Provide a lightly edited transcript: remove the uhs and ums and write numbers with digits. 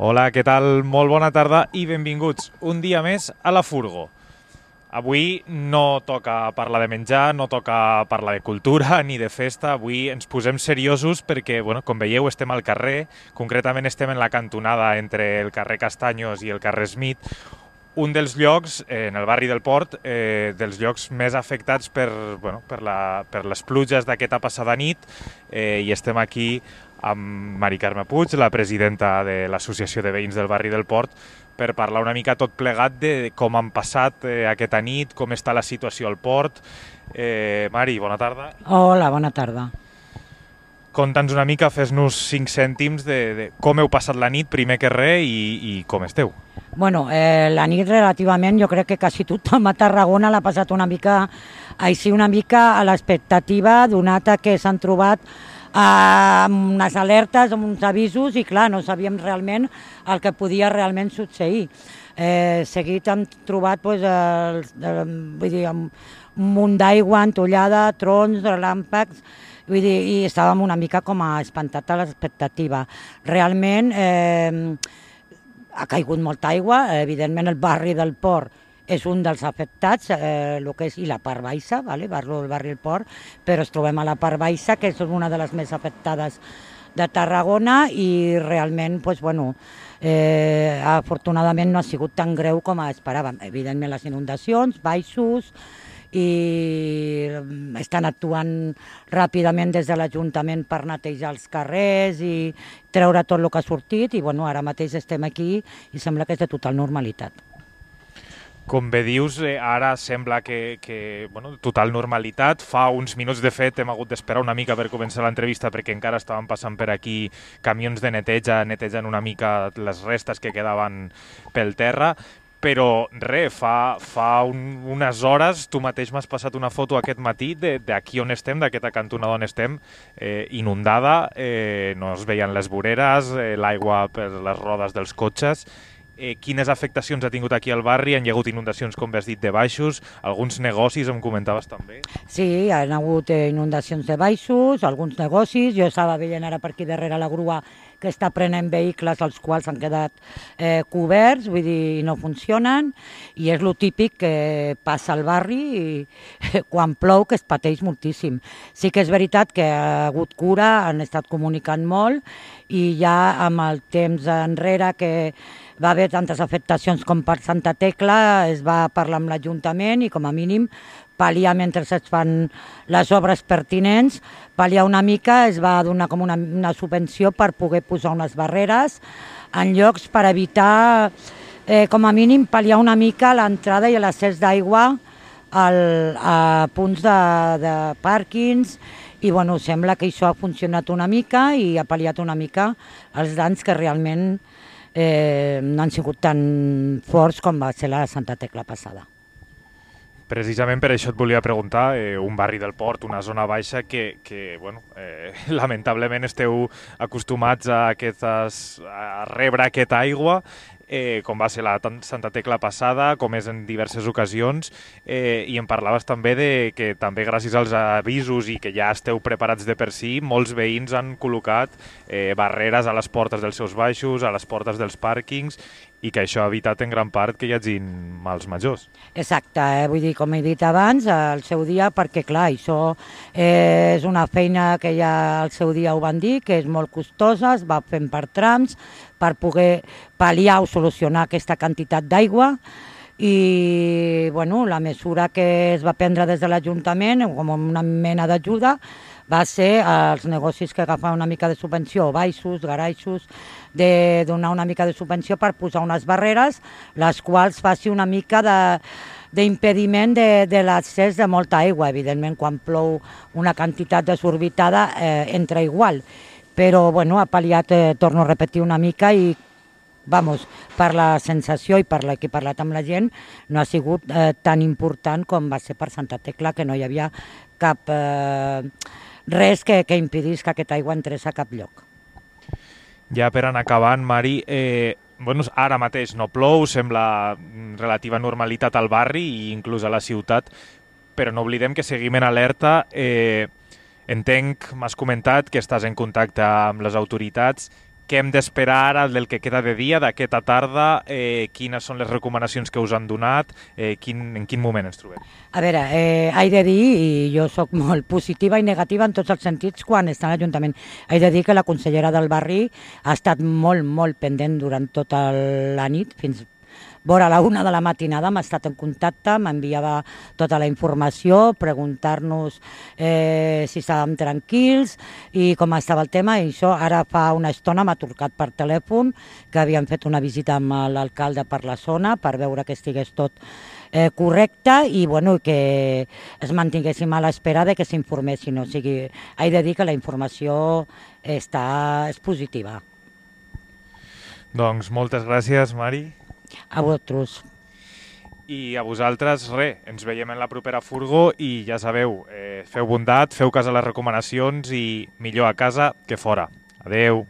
Hola, què tal? Molt bona tarda i benvinguts un dia més a la Furgo. Avui no toca parlar de menjar, no toca parlar de cultura ni de festa. Avui ens posem seriosos perquè, com veieu, estem al carrer. Concretament estem en la cantonada entre el carrer Castanyos i el carrer Smith, un dels llocs, en el barri del Port, dels llocs més afectats per les pluges d'aquesta passada nit, i estem aquí amb Mari Carme Puig, la presidenta de l'Associació de Veïns del barri del Port, per parlar una mica tot plegat de com han passat aquesta nit, com està la situació al port. Mari, bona tarda. Hola, bona tarda. Conta'ns una mica, fes-nos 5 cèntims de com heu passat la nit, primer que res, i com esteu. Bueno, la nit relativament, jo crec que quasi tothom a Tarragona l'ha passat una mica a l'expectativa, donat que s'han trobat amb unes alertes, amb uns avisos, i clar, no sabíem realment el que podia realment succeir. Seguit hem trobat un munt d'aigua entollada, trons, relàmpacs, i estàvem una mica com a espantat a l'expectativa. Realment ha caigut molta aigua, evidentment el barri del Port és un dels afectats, i la part baixa, parlo del barri del Port, però es trobem a la part baixa, que és una de les més afectades de Tarragona, i realment, afortunadament no ha sigut tan greu com esperàvem. Evidentment les inundacions, baixos, i estan actuant ràpidament des de l'Ajuntament per netejar els carrers i treure tot el que ha sortit, i ara mateix estem aquí i sembla que és de total normalitat. Com bé dius, ara sembla que total normalitat. Fa uns minuts, de fet, hem hagut d'esperar una mica per començar l'entrevista perquè encara estaven passant per aquí camions de neteja, netejant una mica les restes que quedaven pel terra. Però res, fa unes hores tu mateix m'has passat una foto aquest matí d'aquí on estem, d'aquesta cantonada on estem, inundada, no es veien les voreres, l'aigua per les rodes dels cotxes. Quines afectacions ha tingut aquí al barri? Han hi hagut inundacions, com has dit, de baixos, alguns negocis, em comentaves també? Sí, hi ha hagut inundacions de baixos, alguns negocis. Jo estava veient ara per aquí darrere la grua que està prenent vehicles els quals han quedat coberts, no funcionen, i és lo típic que passa al barri i quan plou, que es pateix moltíssim. Sí que és veritat que ha hagut cura, han estat comunicant molt, i ja amb el temps enrere que va haver tantes afectacions com per Santa Tecla, es va parlar amb l'Ajuntament i com a mínim pal·liar mentre es fan les obres pertinents, pal·liar una mica, es va donar com una subvenció per poder posar unes barreres en llocs per evitar, com a mínim, pal·liar una mica l'entrada i l'accés d'aigua a punts de pàrquings, i sembla que això ha funcionat una mica i ha pal·liat una mica els danys que realment no han sigut tan forts com va ser la Santa Tecla passada. Precisament per això et volia preguntar, un barri del Port, una zona baixa que lamentablement esteu acostumats a rebre aquesta aigua, com va ser la Santa Tecla passada, com és en diverses ocasions, i em parlaves també que també gràcies als avisos i que ja esteu preparats de per si, molts veïns han col·locat barreres a les portes dels seus baixos, a les portes dels pàrquings, i que això ha evitat en gran part que hi hagin mals majors. Exacte, com he dit abans, al seu dia, perquè clar, això és una feina que ja al seu dia ho van dir, que és molt costosa, es va fent per trams, per poder pal·liar o solucionar aquesta quantitat d'aigua, i la mesura que es va prendre des de l'Ajuntament, com una mena d'ajuda, va ser als negocis que agafaven una mica de subvenció, baixos, garaixos, de donar una mica de subvenció per posar unes barreres, les quals faci una mica d'impediment de l'accés de molta aigua. Evidentment, quan plou una quantitat desorbitada, entra igual. Però ha pal·liat, torno a repetir una mica, i per la sensació i per la que he parlat amb la gent, no ha sigut tan important com va ser per Santa Tecla, que no hi havia cap res que impedís que aquesta aigua entrés a cap lloc. Ja per anar acabant, Mari, ara mateix no plou, sembla relativa normalitat al barri i inclús a la ciutat, però no oblidem que seguim en alerta. Entenc, m'has comentat que estàs en contacte amb les autoritats. què hem d'esperar ara del que queda de dia, d'aquesta tarda, quines són les recomanacions que us han donat, en quin moment ens trobem? A veure, he de dir, i jo sóc molt positiva i negativa en tots els sentits quan està a l'Ajuntament, he de dir que la consellera del barri ha estat molt, molt pendent durant tota la nit, fins vora la 1 de la matinada m'ha estat en contacte, m'enviava tota la informació, preguntar-nos si estàvem tranquils i com estava el tema, i això ara fa una estona m'ha trucat per telèfon, que havien fet una visita amb l'alcalde per la zona per veure que estigués tot correcte i bueno, que es mantinguéssim a l'espera de que s'informessin. O sigui, he de dir que la informació és positiva. Doncs moltes gràcies, Mari. A vosaltres. I a vosaltres, ens veiem en la propera furgo i ja sabeu, feu bondat, feu cas a les recomanacions i millor a casa que fora. Adeu.